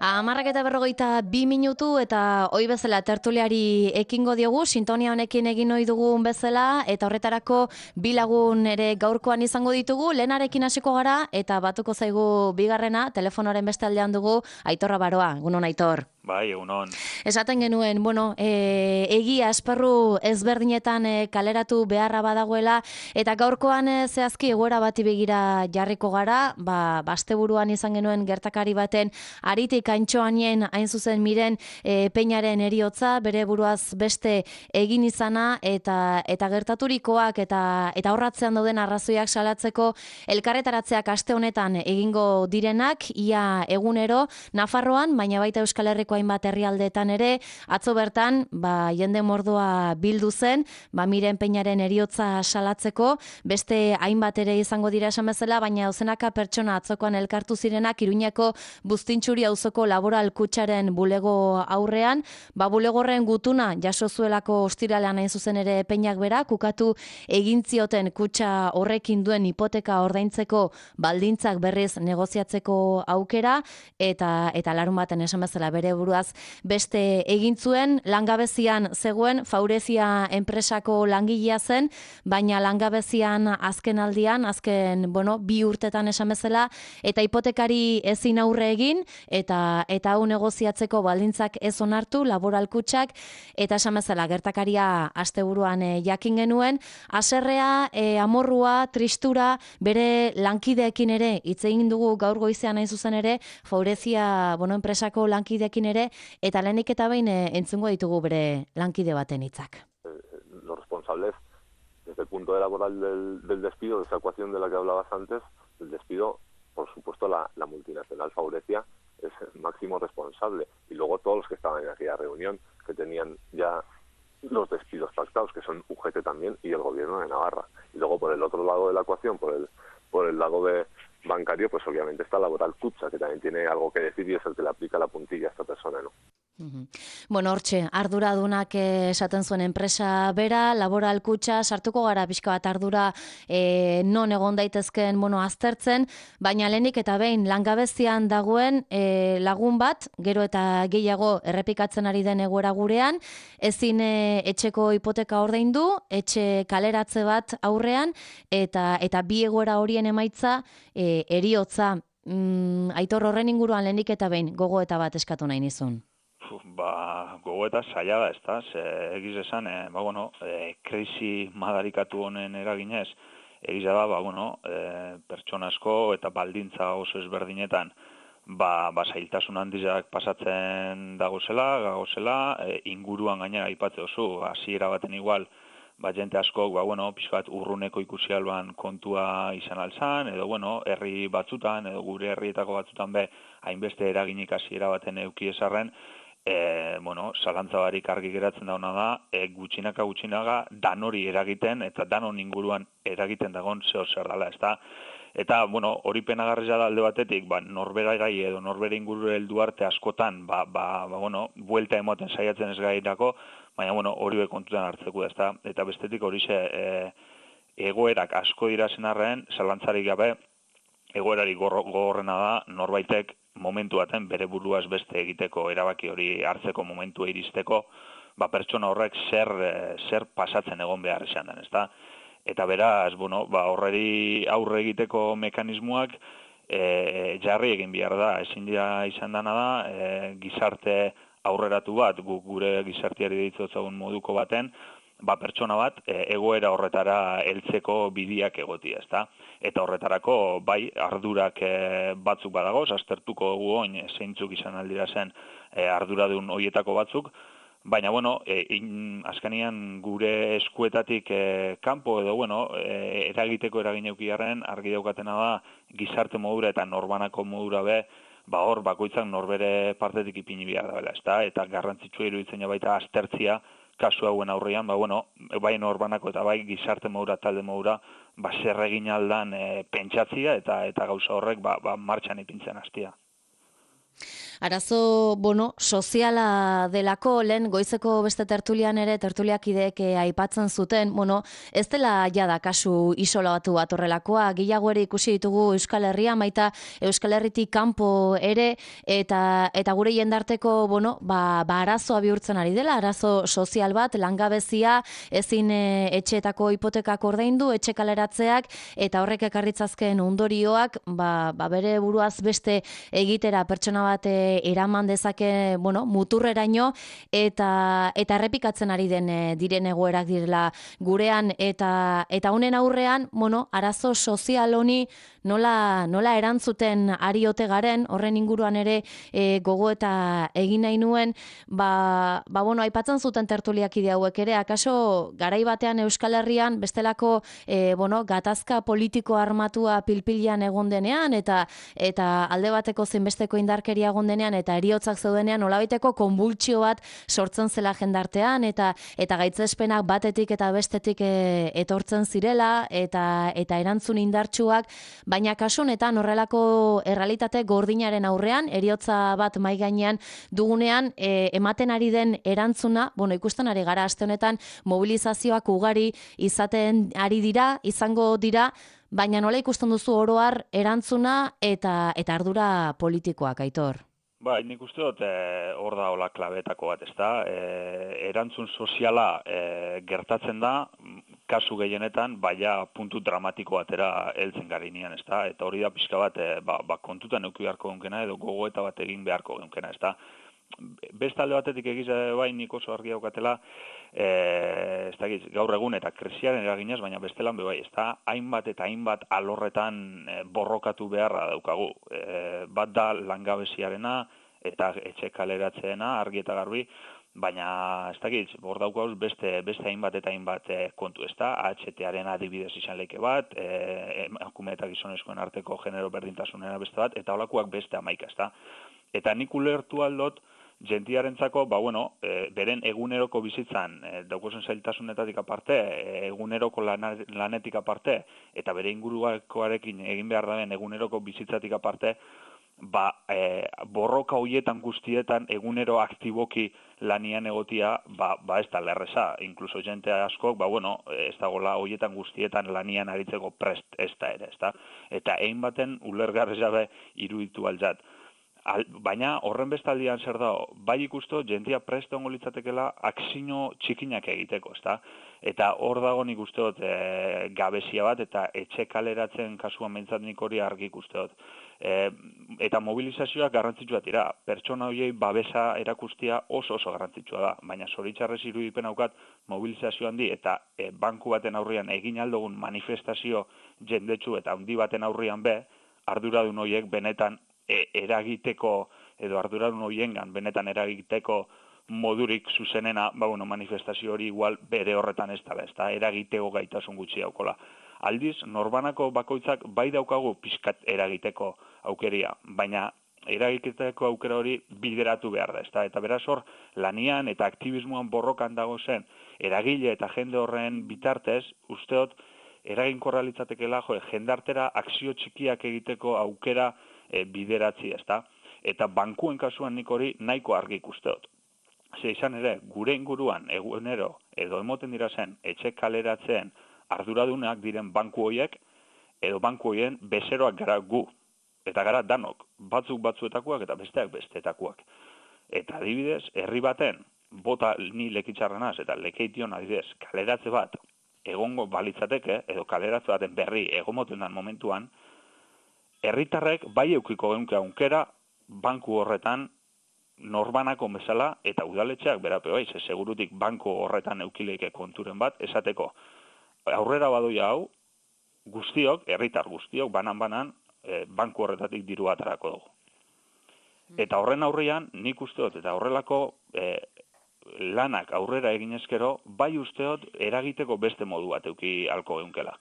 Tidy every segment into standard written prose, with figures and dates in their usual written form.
10:42 eta hoi bezala tertuliari ekingo diogu, sintonia honekin egin ohi dugun bezala, eta horretarako bi lagun ere gaurkoan izango ditugu, lehenarekin hasiko gara, eta batuko zaigu bigarrena, telefonoaren beste aldean dugu, Aitor Abaroa, egunon Aitor. Bai, egunon. Esaten genuen, egia esparru ezberdinetan kaleratu beharra badagoela, eta gaurkoan zehazki egoera bati begira jarriko gara, asteburuan izan genuen gertakari baten aritik Antxoanien hain zuzen miren peinaren eriotza, bere buruaz beste egin izana, eta gertaturikoak eta horratzean dauden arrazoiak salatzeko elkarretaratzeak aste honetan egingo direnak, ia egunero, Nafarroan, baina baita Euskal Herriko hainbat herrialdeetan ere, atzo bertan, jende mordoa bildu zen, miren peinaren eriotza salatzeko, beste hainbat ere izango dira esan bezala, baina dozenaka pertsona atzokoan elkartu zirenak Iruñeko Buztintxuri auzoko Laboral Kutxaren bulego aurrean, bulegorren gutuna jaso zuelako ostiralean hain zuzen ere peinak bera, kukatu egin zioten kutxa horrekin duen hipoteka ordaintzeko baldintzak berriz negoziatzeko aukera, eta larun baten esan bezala bere buruaz beste egin zuen, langabezian zegoen, Faurezia enpresako langilea zen, baina langabezian azken aldian, bi urtetan esan bezala, eta hipotekari ezin aurre egin, eta hau negoziatzeko baldintzak ez onartu, Laboral Kutxak, eta esan bezala gertakaria asteburuan jakin genuen, haserrea, amorrua, tristura, bere lankideekin ere, hitz egin dugu gaur goizean hain zuzen ere, Faurezia enpresako lankideekin ere, eta lehenik eta behin entzungo ditugu bere lankide baten hitzak. Los responsables, desde el punto de laboral del despido, de esa ecuación de la que hablabas antes, el despido, por supuesto, la multinacional Faurecia es el máximo responsable. Y luego todos los que estaban en aquella reunión, que tenían ya los despidos pactados, que son UGT también, y el gobierno de Navarra. Y luego por el otro lado de la ecuación, por el lado bancario, pues obviamente está Laboral Kutxa, que también tiene algo que decir y es el que le aplica la puntilla a esta persona, ¿no? Hortxe, arduradunak esaten zuen enpresa bera, Laboral Kutxa, sartuko gara pixka bat ardura non egon daitezken aztertzen, baina lehenik eta behin langabezian dagoen lagun bat, gero eta gehiago errepikatzen ari den egoera gurean, ezin etxeko hipoteka ordaindu, etxe kaleratze bat aurrean, eta bi egoera horien emaitza eriotza. Aitor, horren inguruan lehenik eta behin gogoeta bat eskatu nahi nizun. Gogoeta zaila da, ez da, egiz esan, krisi madarikatu honen eraginez, egiz da, pertsona asko eta baldintza oso ezberdinetan, zailtasun handizak pasatzen gagozela, inguruan gainera aipatze oso, hasiera baten igual, jente askok, pixkat urruneko ikusi alban kontua izan alzan, edo, herri batzutan, edo gure herrietako batzutan hainbeste eraginik hasiera baten euki esarren, zalantza barik argi geratzen dauna da, gutxinaka danori eragiten, eta danon inguruan eragiten dagoen zer dela, ez da? Eta, hori penagarria da alde batetik, norbera gai edo norbera inguru heldu arte askotan, buelta emoten saiatzen ez gairako, baina, hori kontutan hartzeko, ez da? Eta bestetik hori egoerak asko dira zen arren, zalantzarik gabe, egoerari gogorrena da, norbaitek momentu baten bere buruaz beste egiteko erabaki hori hartzeko momentua iristeko, pertsona horrek zer pasatzen egon behar izan den, ezta? Eta beraz, horreri aurre egiteko mekanismoak jarri egin behar da, ezin dira izan dena da, gizarte aurreratu bat, gure gizarteari deitzotzen moduko baten, pertsona bat egoera horretara heltzeko bidiak egotia, ezta? Eta horretarako, ardurak batzuk badagoz, aztertuko dugu oin zeintzuk izan aldira zen arduradun horietako batzuk, baina, azkenian gure eskuetatik kanpo edo, eragiteko eragineukiarren argi daukatena da gizarte modura eta norbanako modura hor bakoitzak norbere partetik ipini behar da bela, ezta? Eta garrantzitsua iruditzen baita aztertzia kasu hauen aurrean, bai norbanako eta bai gizarte modura, talde modura, zer egin aldan pentsatzia eta gauza horrek martxan ipintzen hastia. Arazo, soziala delako, lehen goizeko beste tertulian ere, tertuliakideek aipatzen zuten, ez dela jada kasu isolatu bat horrelakoa, gehiago ere ikusi ditugu Euskal Herria, maita Euskal Herritik kanpo ere, eta gure jendarteko, arazoa bihurtzen ari dela, arazo sozial bat, langabezia, ezin etxeetako hipotekak ordaindu, etxe kaleratzeak, eta horrek ekarritzazken ondorioak, bere buruaz beste egitera pertsona bat eraman dezake, muturreraino, eta errepikatzen ari diren egoerak direla gurean, eta honen aurrean, arazo sozial honi nola erantzuten ari ote garen, horren inguruan ere gogo eta egin nahi nuen, aipatzen zuten tertuliakide hauek ere, akaso garai batean Euskal Herrian bestelako gatazka politiko armatua pilpilean egon denean, eta alde bateko zenbesteko indarkeria egon denean, eta heriotzak zeudenean nolabaiteko konbultsio bat sortzen zela jendartean, eta gaitzespenak batetik eta bestetik etortzen zirela, eta erantzun indartsuak, baina kasu honetan horrelako errealitate gordinaren aurrean, heriotza bat mahai gainean dugunean, ematen ari den erantzuna, ikusten ari gara aste honetan mobilizazioak ugari izaten ari dira, izango dira, baina nola ikusten duzu oro har erantzuna eta ardura politikoak, Aitor? Nik uste dut hor da hola klabetako bat, ezta? Erantzun soziala gertatzen da, kasu gehienetan, baina puntu dramatiko batera heltzen garinean, ezta? Eta hori da pixka bat, kontutan euki beharko genkena, edo gogoeta bat egin beharko genkena, ezta? Beste alde batetik egize nik oso argi daukatela, gaur egun eta krisiaren eraginez, baina bestelan ezta? Hainbat eta hainbat alorretan borrokatu beharra daukagu. Bat da langabeziarena eta etxe kaleratzeena, argi eta garbi, baina hor daukauz beste hainbat eta hainbat kontu, ezta? AHT-aren adibidez izan leike bat, emakume eta gizonezkoen arteko genero berdintasunera beste bat, eta holakoak beste 11, ezta? Eta nik ulertu aldot, jentiarentzako, beren eguneroko bizitzan, daukozen zailtasunetatik aparte, eguneroko lanetik aparte, eta bere inguruakoarekin egin behar daben eguneroko bizitzatik aparte, borroka hoietan guztietan egunero aktiboki lanian egotia, ez da lerreza. Inkluso jente askok, ez dagoela hoietan guztietan lanian aritzeko prest ez da ere, ez da? Eta egin baten ulergarri jabe iruditu altzat. Baina horren bestaldian zer dago, bai ikusto jentia prest ongo litzatekela akzio txikinak egiteko, ezta? Eta hor dago nik uste dut gabezia bat, eta etxe kaleratzen kasuan behintzat nik hori argi ikuste dut. Eta mobilizazioak garrantzitsuak dira, pertsona horiei babesa erakustia oso garrantzitsua da, baina zoritxarrez irudipen haukat mobilizazio handi eta banku baten aurrian egin aldogun manifestazio jendetsu eta handi baten aurrian arduradun horiek benetan eragiteko, edo arduradun horiengan benetan eragiteko modurik zuzenena, manifestazio hori igual bere horretan ez da, eragiteko gaitasun gutxi daukola. Aldiz, norbanako bakoitzak bai daukagu pixkat eragiteko aukeria, baina eragiteko aukera hori bideratu behar da, ezta? Eta beraz hor, lanian eta aktivismoan borrokan dago zen, eragile eta jende horren bitartez, usteot, eraginkorra litzatekela, jendartera akzio txikiak egiteko aukera bideratzi, ezta? Eta bankuen kasuan nik hori nahiko argi ikusteot. Ze izan ere, gure inguruan egunero edo emoten dira zen etxe kaleratzen arduradunak diren banku horiek, edo banku horien bezeroak gara gu. Eta gara danok, batzuk batzuetakoak eta besteak bestetakoak. Eta adibidez, herri baten, bota ni lekitxarrenaz eta lekeition adibidez, kaleratze bat egongo balitzateke, edo kaleratze baten berri egomoten den momentuan, herritarrek bai eukiko geunke aukera banku horretan norbanako bezala eta udaletxeak berape bai, segurutik banku horretan eukileike konturen bat, esateko aurrera badoia hau, guztiok, herritar guztiok, banan, banku horretatik diru atarako dugu. Eta horren aurrean, nik usteot, eta horrelako lanak aurrera egin ezkero, bai usteot eragiteko beste modu bat euki halko geunkela.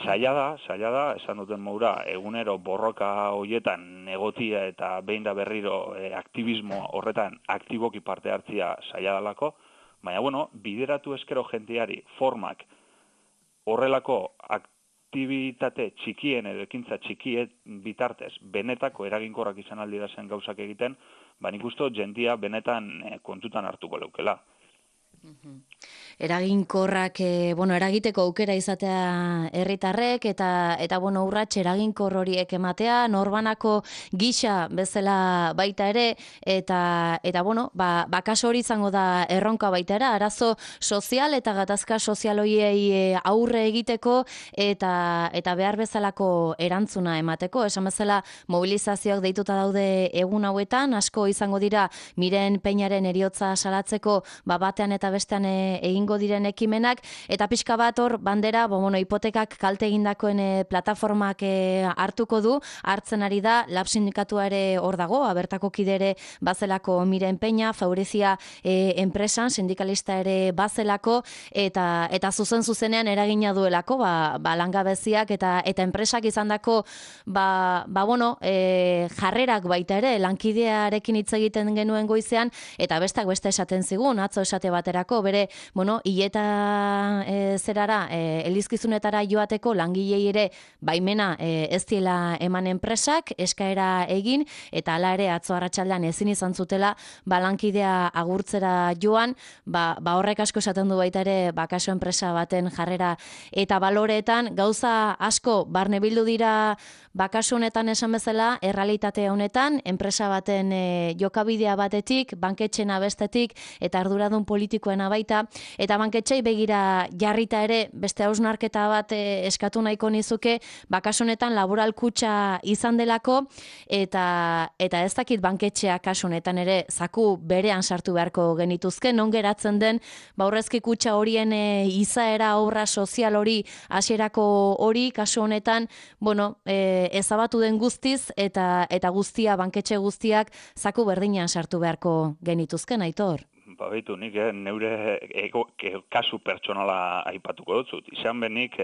Zaila da, esan duten moura, egunero borroka hoietan negotia eta behin da berriro aktivismo horretan aktiboki parte hartzia zaila dalako, baina bideratu ezkero jenteari formak horrelako aktibitate txikien edo ekintza txikien bitartez benetako eraginkorrak izan aldira zen gauzak egiten, nik uste dut jendia benetan kontutan hartuko leukela. Eraginkorrak, eragiteko aukera izatea herritarrek eta urrats eraginkor horiek ematea, norbanako gisa bezala baita ere, eta kaso hori izango da erronka baita ere, arazo sozial eta gatazka sozial horiei aurre egiteko eta behar bezalako erantzuna emateko. Esan bezala mobilizazioak deituta daude egun hauetan, asko izango dira Miren Peñaren heriotza salatzeko batean eta bestean egingo diren ekimenak, eta pixka bat hor bandera, hipotekak kalte egindakoen plataformak hartuko du, hartzen ari da, Lab sindikatua ere hor dago, bertako kide ere bazelako Miren Peña, Faurecia enpresan, sindikalista ere bazelako, eta zuzenean eragina duelako, langabeziak eta enpresak izandako jarrerak baita ere, lankidearekin hitz egiten genuen goizean, eta beste esaten zigun, atzo esate baterako, bere, hileta elizkizunetara joateko langilei ere baimena ez diela eman enpresak, eskaera egin, eta hala ere atzo arratsaldean ezin izan zutela lankidea agurtzera joan, horrek asko esaten du baita ere kaso enpresa baten jarrera eta baloreetan, gauza asko barne bildu dira kasu honetan esan bezala, errealitate honetan, enpresa baten jokabidea batetik, banketxena bestetik, eta arduradun politikoena baita, eta banketxei begira jarrita ere, beste hausnarketa bat eskatu nahiko nizuke, kasu honetan laboral kutxa izan delako, eta ez dakit banketxea kasu honetan ere zaku berean sartu beharko genituzke, non geratzen den, aurrezki kutxa horien izaera obra sozial hori, hasierako hori, kasu honetan, ezabatu den guztiz, eta guztia, banketxe guztiak, zaku berdinean sartu beharko genituzken, Aitor? Baitu, nik neure kasu pertsonala aipatuko dutzut. Izan benik,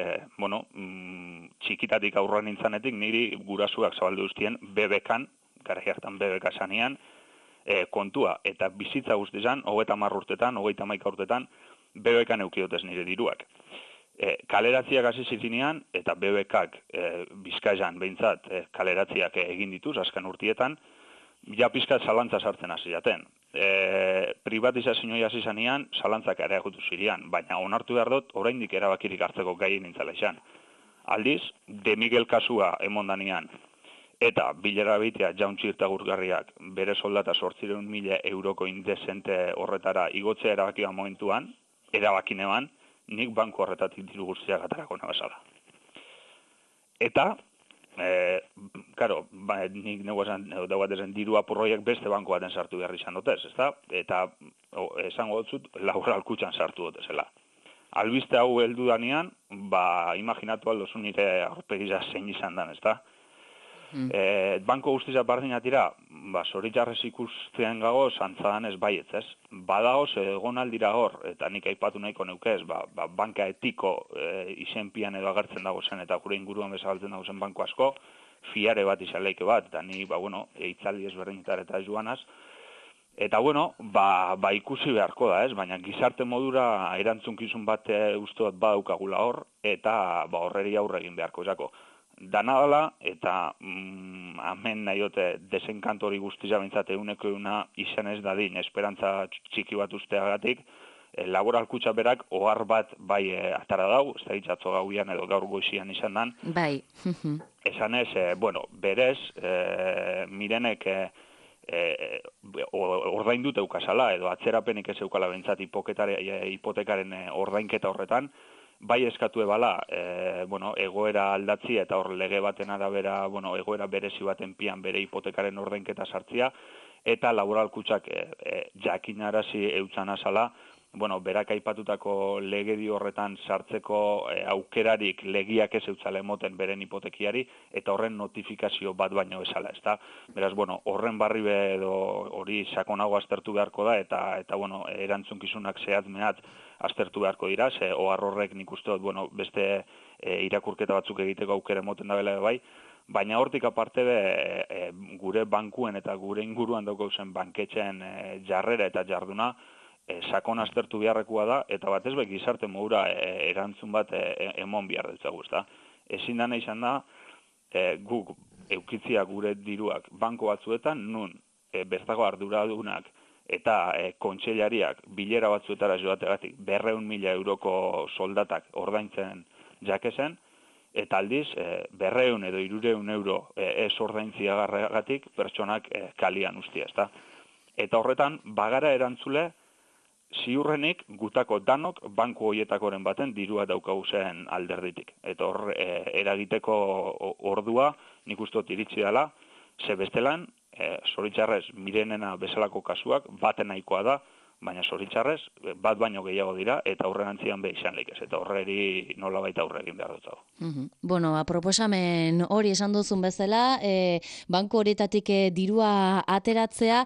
txikitatik aurra nintzanetik, niri gurasuak zabaldu duztien BBK-an, gara hartan BBK sanean, kontua. Eta bizitza guztizan, 30 urtetan, 31 urtetan, BBK-an eukiotez nire diruak. Kaleratziak hasi zitinean, eta BBK-ak Bizkaian behintzat kaleratziak egin dituz, azken urtietan, ja pizkat zalantza sartzen hasi jaten. Privatizazioa hasi zanean, zalantzak areagotu zirean, baina onartu behar dut, oraindik erabakirik hartzeko gai nintzala izan. Aldiz, De Miguel kasua emondanean, eta bilera bitea jauntxirta gurgarriak bere soldata 800.000 euroko indezente horretara igotzea erabakia momentuan, erabakinean, nik banku horretatik diru guztiak atarako nabazala. Eta, nik neguatezen diru apurroiak beste banku baten sartu behar izan dutez, ezta? Eta esango dutzut, laboral kutxan sartu dutezela. Albiste hau heldu danean, imaginatu aldozu nire aurpegiza zein izan dan, ezta? Banko guztiza bardinatira, zoritxarrez ikusten gago, zantzadan ez baietz, ez? Badaoz, egon aldira hor, eta nik aipatu nahiko neukez, banka etiko izenpian edo agertzen dago zen, eta gure inguruan bezabaltzen dago zen banko asko, fiare bat izaleike bat, eta ni, eitzaldi ezberdinetar eta joanaz, eta ikusi beharko da, ez? Baina gizarte modura erantzunkizun bat uste bat badaukagula hor, eta horreri aurre egin beharko izako. Dana dela, eta hemen nahiote desenkantori guztiza bintzat euneko izan ez dadin, esperantza txiki bat usteagatik, laboral kutxa berak ohar bat atara dau, ez da hitxatzo gauian edo gaur goizian izan dan. Bai. Esan ez, berez, Mirenek ordaindut eukasala, edo atzerapenik ez eukala bintzat hipotekaren ordainketa horretan, bai eskatu ebala, egoera aldatzi eta hor lege baten arabera, egoera berezi baten pian bere hipotekaren ordainketa sartzia, eta laboral kutxak jakinarazi eutzan azala, berak aipatutako legedi horretan sartzeko aukerarik legiak ez eutzala emoten beren hipotekiari, eta horren notifikazio bat baino bezala, ezta? Beraz, horren barri edo hori sakonago aztertu beharko da, eta erantzunkizunak zehatz mehat aztertu beharko dira, ze ohar horrek nik uste dut, beste irakurketa batzuk egiteko aukera emoten da bela bai, baina hortik aparte gure bankuen eta gure inguruan dauko zen banketxeen jarrera eta jarduna sakon aztertu beharrekoa da, eta batez gizarte modura erantzun bat emon behar dutzagu, ezta? ezin dana izan da, guk eukitzia gure diruak banko batzuetan, nun bertako arduradunak eta kontseilariak bilera batzuetara joategatik 200.000 euroko soldatak ordaintzen jakezen, eta aldiz 200 edo 300 euro ez ordaintziagarragatik pertsonak kalian ustia, ezta? Eta horretan, bagara erantzule, ziurrenik gutako danok banku hoietakoren baten dirua daukagu zen alderditik. Eta hor eragiteko ordua nik uste dut iritsi dela, ze bestelan, zoritxarrez mirenena bezalako kasuak baten nahikoa da, baina zoritxarrez bat baino gehiago dira eta aurrerantzian be izan leikez. Eta horreri nolabait aurre egin behar dut. Bueno, proposamen hori esan duzun bezala, banku horietatik dirua ateratzea,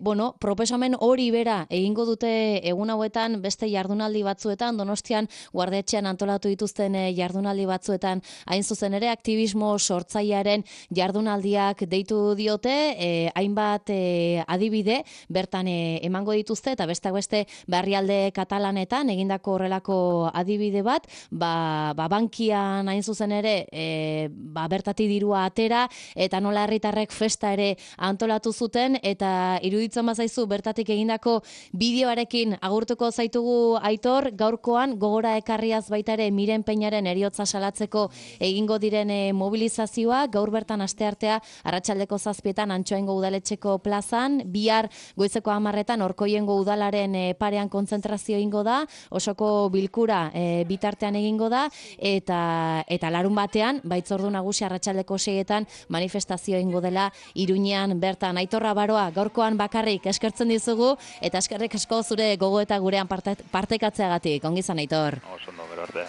bueno, proposamen hori bera egingo dute egun hauetan beste jardunaldi batzuetan, Donostian Guardietxean antolatu dituzten jardunaldi batzuetan, hain zuzen ere aktivismo sortzailearen jardunaldiak deitu diote, hainbat adibide bertan emango dituzte, eta besteak beste herrialde katalanetan egindako horrelako adibide bat, bankian hain zuzen ere bertati dirua atera, eta nola herritarrek festa ere antolatu zuten, eta iruditzen bazaizu bertatik egindako bideoarekin agurtuko zaitugu, Aitor, gaurkoan gogora ekarriaz baita ere Miren Peñaren heriotza salatzeko egingo diren mobilizazioa, gaur bertan asteartea arratsaldeko 7etan Antxoaingo udaletxeko plazan, bihar goizeko 10etan Orkoiengo udalaren parean kontzentrazio egingo da, osoko bilkura bitartean egingo da, eta larun batean, baitzordu nagusi arratsaldeko 6etan manifestazio egingo dela Iruñean bertan. Aitorra Baroa, gaurkoan bakarrik eskertzen dizugu, eta eskerrik asko zure gogo eta gurean partekatzeagatik. Ongi izan, Aitor. Oso ondo, gero arte.